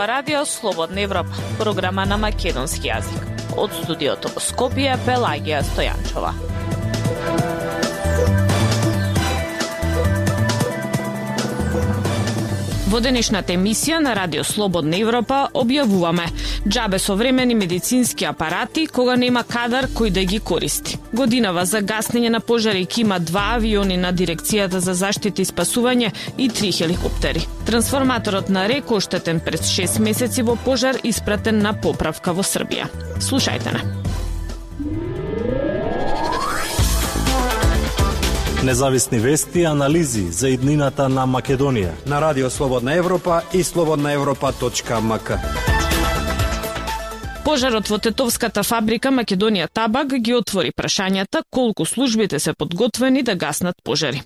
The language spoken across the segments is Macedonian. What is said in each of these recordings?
ова радио Слободна Европа, програма на македонски јазик. Од студиото во Скопје, Пелагија Стојанчова. Во денешната емисија на Радио Слободна Европа објавуваме џабе современи медицински апарати кога нема кадар кој да ги користи. Годинава за гаснење на пожари има 2 авиони на Дирекцијата за заштита и спасување и 3 хеликоптери. Трансформаторот на РЕК оштетен пред 6 месеци во пожар испратен на поправка во Србија. Слушајте на. Независни вести и анализи за иднината на Македонија на Радио Слободна Европа и slobodnaevropa.mk. Пожарот во тетовската фабрика Македонија Табак ги отвори прашањата колку службите се подготвени да гаснат пожари.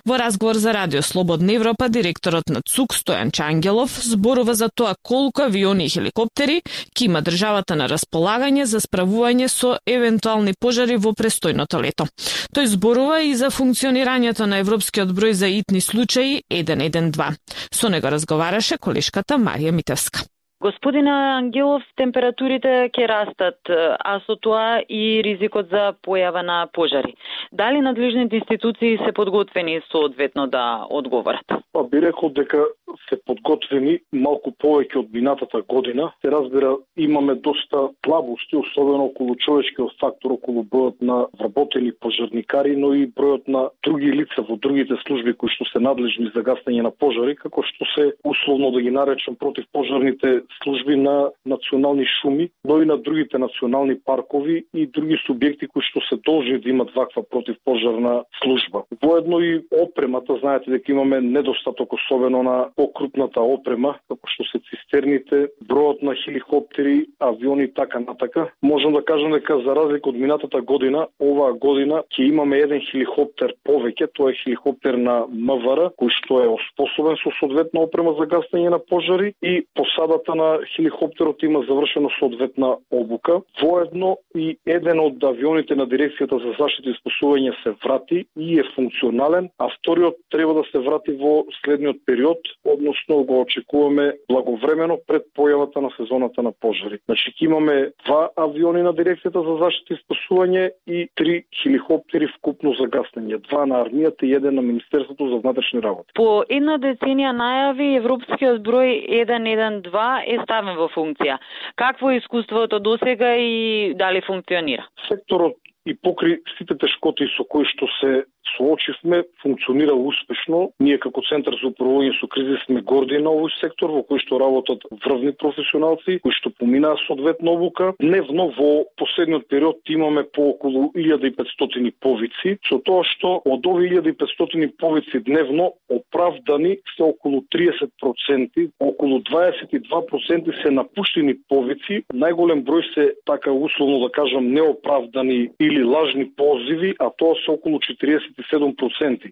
Во разговор за Радио Слободна Европа, директорот на ЦУК Стојан Чангелов зборува за тоа колку авиони и хеликоптери ќе има државата на располагање за справување со евентуални пожари во престојното лето. Тој зборува и за функционирањето на европскиот број за итни случаи 112. Со него разговараше колешката Марија Митевска. Господине Ангелов, температурите ќе растат, а со тоа и ризикот за појава на пожари. Дали надлежните институции се подготвени соодветно да одговорат? Би рекол дека се подготвени малку повеќе од минатата година. Се разбира, имаме доста слабости, особено околу човечкиот фактор, околу бројот на вработени пожарникари, но и бројот на други лица во другите служби кои што се надлежни за гаснење на пожари, како што се условно да ги наречам противпожарните служби на национални шуми, но и на другите национални паркови и други субјекти кои што се должни да имат ваква противпожарна служба. Воедно и опремата, знаете дека имаме недостаток особено на покрупната опрема, како што се цистерните, бројот на хеликоптери, авиони и така натака. Можам да кажам дека за разлика од минатата година, оваа година ќе имаме еден хеликоптер повеќе, тоа е хеликоптер на МВР, кој што е оспособен со соодветна опрема за гаснење на пожари и посадата на хеликоптерот има завршено соодветна обука. Воедно и еден од авионите на Дирекцијата за заштита и спасување се врати и е функционален, а вториот треба да се врати во следниот период, односно го очекуваме благовремено пред појавата на сезоната на пожари. Значи ќе имаме 2 авиони на Дирекцијата за заштита и спасување и 3 хеликоптери вкупно за гаснење, 2 на армијата и 1 на Министерството за внатрешни работи. По една деценија најави европскиот број 112 е ставен во функција. Какво е искуството досега и дали функционира? Секторот и покри сите тешкоти со кои што се соочивме, функционира успешно. Ние како Центар за управување со кризи сме горди на овој сектор во кој што работат врвни професионалци, кои што поминаа соодветна обука. Дневно во последниот период имаме по околу 1500 повици, со тоа што од овие 1500 повици дневно оправдани се околу 30%, околу 22% се напуштени повици, најголем број се така условно да кажам неоправдани или лажни позиви, а тоа се околу 47%.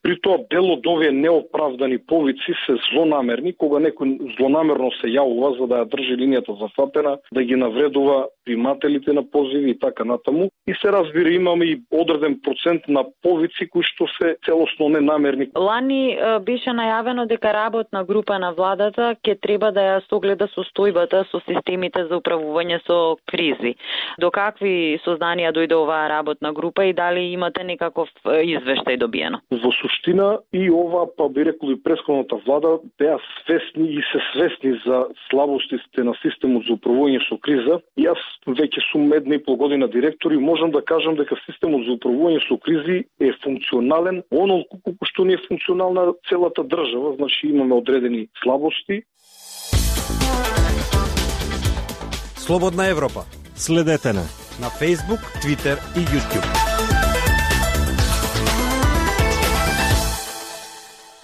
При тоа дел од овие неоправдани повици се злонамерни, кога некој злонамерно се јавува за да ја држи линијата зафатена, да ги навредува примателите на позиви и така натаму. И се разбира, имаме и одреден процент на повици кои што се целосно ненамерни. Лани беше најавено дека работна група на владата ќе треба да ја согледа состојбата со системите за управување со кризи. До какви сознанија дојде оваа работна група и дали имате некаков извештај добиено? Во суштина и ова, па би рекол и претходната влада, беа свесни и се свесни за слабостите на системот за управување со криза. И јас веќе сум 1,5 година директор и можам да кажам дека системот за управување со кризи е функционален, онолку колку што не е функционална целата држава, значи имаме одредени слабости. Слободна Европа. Следете на Facebook, Twitter и YouTube.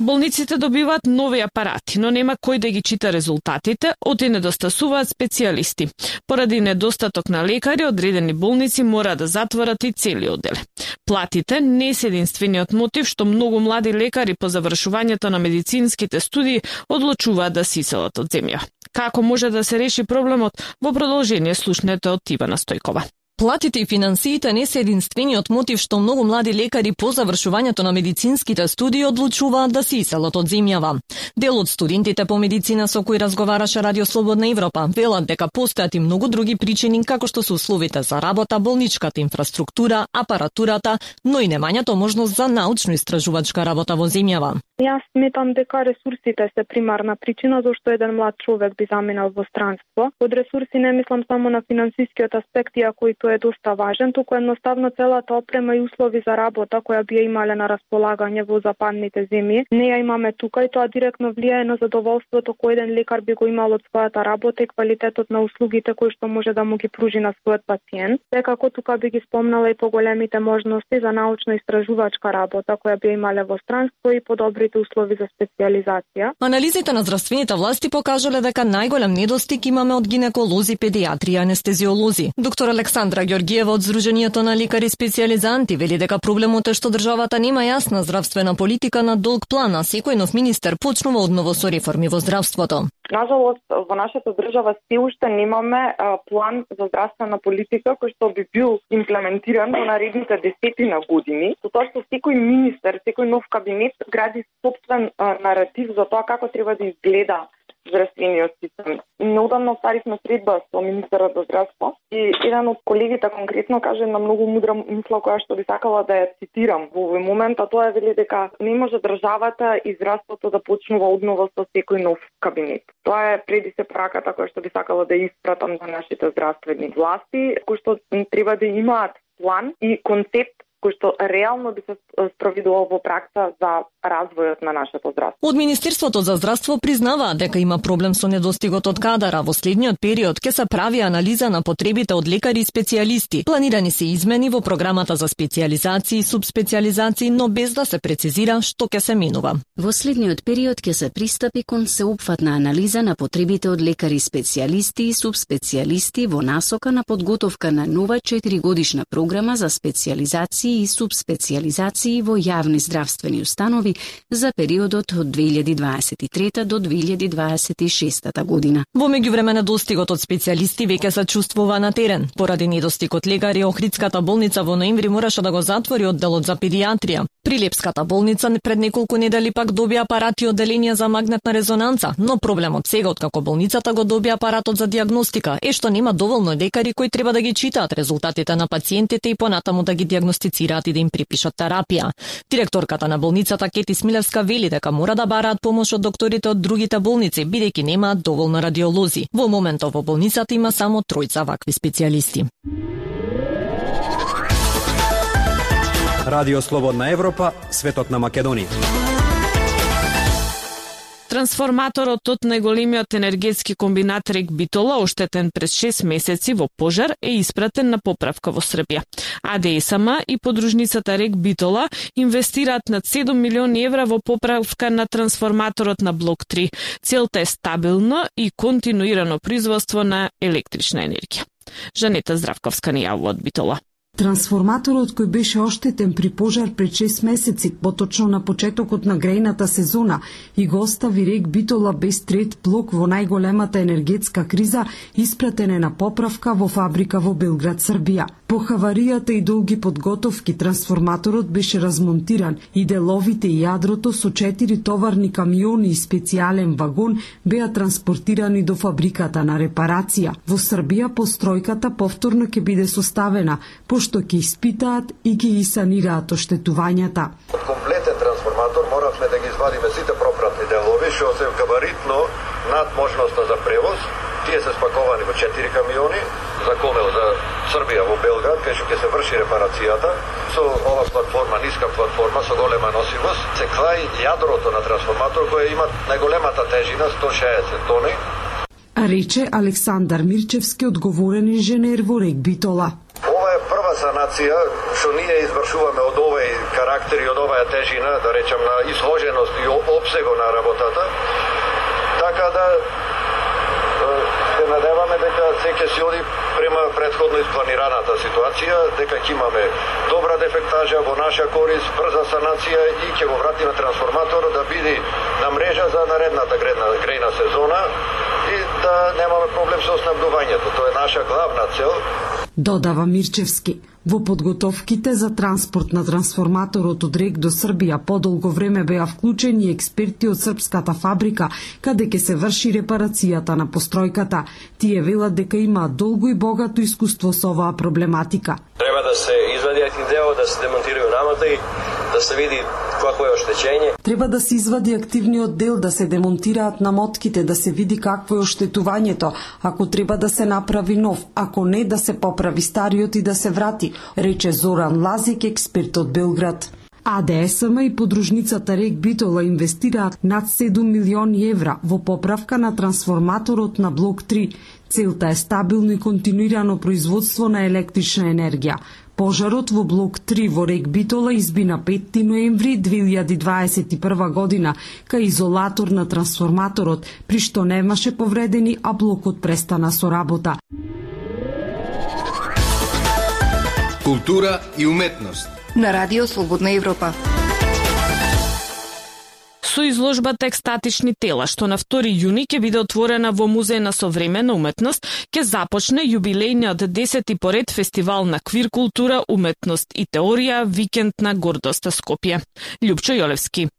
Болниците добиваат нови апарати, но нема кој да ги чита резултатите, оти недостасуваат специјалисти. Поради недостаток на лекари, одредени болници мора да затворат и цели оддели. Платите не се единствениот мотив што многу млади лекари по завршувањето на медицинските студии одлучуваат да се иселат од земја. Како може да се реши проблемот? Во продолжение слушнете од Ивана Стојкова. Платите и финансиите не се единствениот мотив што многу млади лекари по завршувањето на медицинските студии одлучуваат да се иселат од земјава. Дел од студентите по медицина со кои разговараше Радио Слободна Европа велат дека постојат и многу други причини како што се условите за работа, болничката инфраструктура, апаратурата, но и немањето можност за научно-истражувачка работа во земјава. Јас сметам дека ресурсите се примарна причина зашто еден млад човек би заминал во странство. Од ресурси не мислам само на финансискиот аспект, иако и тој е доста важен, туку едноставно целата опрема и услови за работа која би ја имале на располагање во западните земји. Не ја имаме тука и тоа директно влијае на задоволството кој еден лекар би го имал од својата работа и квалитетот на услугите кои што може да му ги пружи на својот пациент. Секако тука би ги спомнала и поголемите можности за научно-истражувачка работа која би имале во странство и подобрите услови за специјализација. Анализите на здравствените власти покажале дека најголем недостиг имаме од гинеколози, педиатри и анестезиолози. Доктор Александра Ѓоргиева од Здруженијето на лекари специјализанти вели дека проблемот е што државата нема јасна здравствена политика на долг план, а секој нов министер почнува одново со реформи во здравството. Нажалост, во нашата држава се уште немаме план за здравствена политика кој што би бил имплементиран во наредните десетина години, со тоа што секој министер, секој нов кабинет гради собствен наратив за тоа како треба да изгледа здравствениот систем. Неодамно ставивме средба со министерот за здравство и еден од колегите конкретно каже на многу мудра мисла која што би сакала да ја цитирам. Во овој момент тоа е вели дека не може државата и здравството да почнува одново со секој нов кабинет. Тоа е преди се праката која што би сакала да испратам на нашите здравствени власти, кои што треба да имаат план и концепт кој што реално би се спроведувал во пракса за развојот на нашето здравство. Од Министерството за здравство признаваат дека има проблем со недостигот од кадар, а во следниот период ќе се прави анализа на потребите од лекари и специјалисти. Планирани се измени во програмата за специјализации и субспецијализации, но без да се прецизира што ќе се менува. Во следниот период ќе се пристапи кон сеопфатна анализа на потребите од лекари специјалисти и субспецијалисти во насока на подготовка на нова 4-годишна програма за специјализации и субспецијализации во јавни здравствени установи за периодот од 2023 до 2026 година. Во меѓувреме недостигот од специјалисти веќе се чувствува на терен. Поради недостиг од лекари, Охридската болница во ноември мораше да го затвори одделот за педиатрија. Прилепската болница пред неколку недели пак доби апарати и одделенија за магнетна резонанца, но проблемот сега откако болницата го доби апаратот за дијагностика е што нема доволно лекари кои треба да ги читаат резултатите на пациентите и понатаму да ги дијагностицираат и да им припишат терапија. Директорката на болницата Кети Смилевска вели дека мора да бараат помош од докторите од другите болници, бидејќи немаат доволно радиолози. Во моментов во болницата има само 3 вакви специјалисти. Радио Слободна Европа, светот на Македонија. Трансформаторот од најголемиот енергетски комбинат Рек Битола, оштетен през 6 месеци во пожар, е испратен на поправка во Србија. АДСМ и подружницата Рек Битола инвестираат над 7 милиони евра во поправка на трансформаторот на блок 3. Целта е стабилно и континуирано производство на електрична енергија. Жанета Здравковска ни јавува од Битола. Трансформаторот кој беше оштетен при пожар пред 6 месеци, поточно на почетокот на грејната сезона, и го остави Рек Битола без трет блок во најголемата енергетска криза, испратен е на поправка во фабрика во Белград, Србија. По хаваријата и долги подготовки, трансформаторот беше размонтиран и деловите и јадрото со 4 товарни камиони и специјален вагон беа транспортирани до фабриката на репарација. Во Србија постројката повторно ќе биде составена, што ќе испитаат и ќе ги санираат оштетувањата. Од комплетен трансформатор моравме да ги извадиме сите пропратни делови, што се габаритно над можноста за превоз. Тие се спаковани во 4 камиони за комел за Србија во Белград, кај што ќе се врши репарацијата. Со ова платформа, ниска платформа со голема носивост, се клаи јадрото на трансформатор кој има најголемата тежина 160 тони. Рече Александар Мирчевски, одговорен инженер во Рек Битола. Санација што ние извршуваме од овој карактер и од оваа тежина, да речем на изложеност и опсего на работата, така да се надеваме дека се ќе се оди према претходно испланираната ситуација, дека ќе имаме добра дефектажа во наша корист, брза санација и ќе го вратиме трансформатор да биде на мрежа за наредната грејна сезона и да немаме проблем со снабдувањето. Тоа е наша главна цел. Додава Мирчевски. Во подготовките за транспорт на трансформаторот од РЕК до Србија подолго време беа вклучени експерти од српската фабрика, каде ќе се врши репарацијата на постројката. Тие велат дека имаат долго и богато искуство со оваа проблематика. Треба да се извади един дел, да се демонтирају намата и да се види какво е оштетење. Треба да се извади активниот дел, да се демонтираат намотките, да се види какво е оштетувањето, ако треба да се направи нов, ако не да се поправи стариот и да се врати, рече Зоран Лазик, експерт од Белград. АДСМ и подружницата РЕК Битола инвестираат над 7 милиони евра во поправка на трансформаторот на блок 3. Целта е стабилно и континуирано производство на електрична енергија. Пожарот во блок 3 во РЕК Битола изби на 5 ноември 2021 година кај изолатор на трансформаторот, при што немаше повредени, а блокот престана со работа. Култура и уметност на Радио Слободна Европа. Со изложбата Екстатични тела, што на 2 јуни ќе биде отворена во Музеј на современа уметност, ќе започне јубилејниот 10-ти поред фестивал на квир култура, уметност и теорија Викенд на гордоста Скопје. Љупчо Јолевски.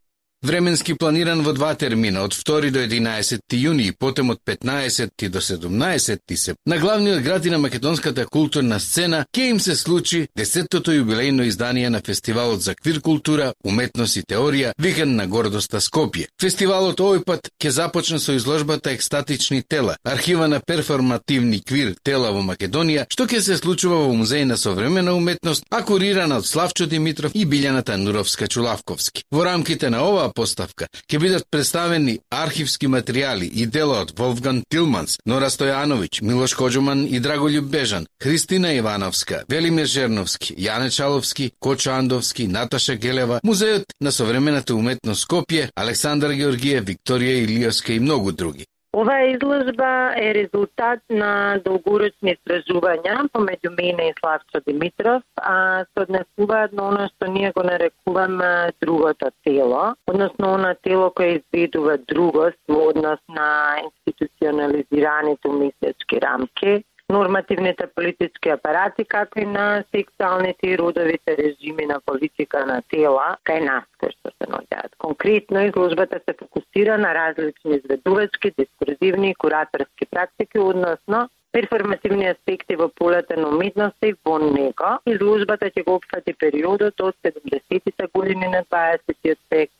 Временски планиран во 2 термина, од 2 до 11 јуни и потем од 15 до 17 септември, на главниот град и на македонската културна сцена ќе им се случи 10-тото јубилејно издание на фестивалот за квир култура, уметност и теорија Викенд на гордоста Скопје. Фестивалот овој пат ќе започне со изложбата Екстатични тела, архива на перформативни квир тела во Македонија, што ќе се случува во Музеј на современа уметност, а курирана од Славчо Димитров и Билјана Тануровска-Чулавковски. Во рамките на оваа поставка ќе бидат представени архивски материјали и дела од Волфган Тилманс, Нора Стојановиќ, Милош Коџуман и Драголјуб Бежан, Христина Ивановска, Велимир Жерновски, Јане Чаловски, Кочо Андовски, Наташа Гелева, Музејот на современата уметност Скопје, Александар Георгиев, Викторија Илиевска и многу други. Оваа изложба е резултат на долгорочни истражувања помеѓу мене и Славчо Димитров, а се однесуваат на оно што ние го нарекуваме другото тело, односно оно тело кое изведува другост во однос на институционализираните умислечки рамки, нормативните политички апарати, како и на сексуалните и родовите режими на политика на тела кај нас кои што се наоѓаат. Конкретно, изложбата се фокусира на различни изведувачки, дискурзивни и кураторски практики, односно перформативни аспекти во полето на уметноста и во него. Изложбата ќе го опфати периодот од 70-тите години на 20-тиот век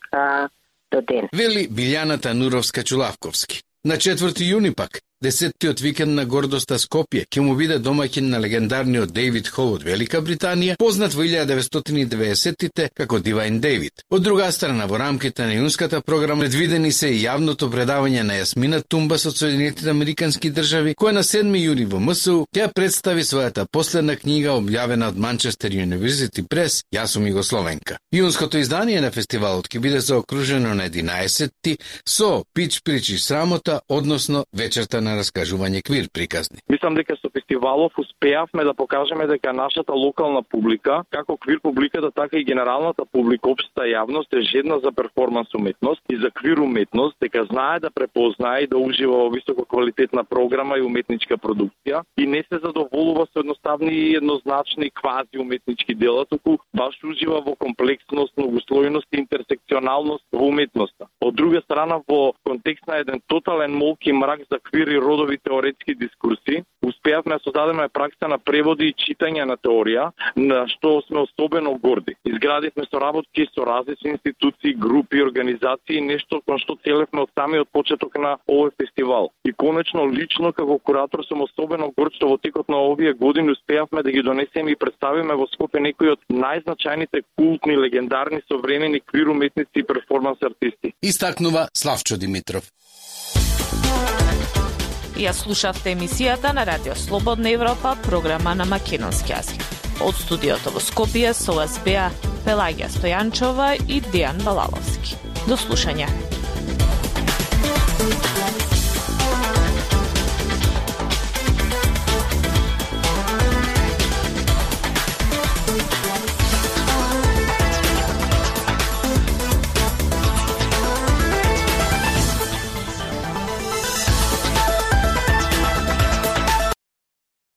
до ден. Вели Билјана Тануровска-Чулавковски. На 4 јуни пак, 10-тиот Викенд на гордоста Скопје ќе му биде домаќин на легендарниот Дејвид Хол од Велика Британија, познат во 1990-тите како Дивајн Дејвид. Од друга страна, во рамките на јунската програма предвидени се и јавното предавање на Јасмина Тумбас од Соединетите Американски држави, која на 7 јуни во МСУ ќе представи својата последна книга објавена од Манчестер University Press, Јас сум југословенка. Јунското издание на фестивалот ќе биде заокружено на 11-ти со Пич причи срамота, односно вечерта на раскажување квир приказни. Мислам дека со фестивалов успеавме да покажеме дека нашата локална публика, како квир публиката, така и генералната публика, општа јавност е жедна за перформанс уметност и за квир уметност, дека знае да препознае и да ужива во високо квалитетна програма и уметничка продукција и не се задоволува со едноставни и еднозначни квази уметнички дела, туку баш ужива во комплексност, многослојност и интерсекционалност во уметноста. Од друга страна, во контекст на еден тотален молк и мрак за квир и родови теоретски дискурси, успеавме да создадеме пракса на преводи и читање на теорија, на што сме особено горди. Изградивме соработки со различни институции, групи, организации, нешто кон што целевме од самиот почеток на овој фестивал. И конечно, лично како куратор сум особено горд што во текот на овие години успеавме да ги донесеме и представиме во Скопје некои од најзначајните култни, легендарни современи квир уметници и перформанс артисти. Истакнува Славчо Димитров. Ја слушавте емисијата на Радио Слободна Европа, програма на македонски јазик. Од студиото во Скопје со вас беа Пелагија Стојанчова и Дејан Балаловски. До слушање.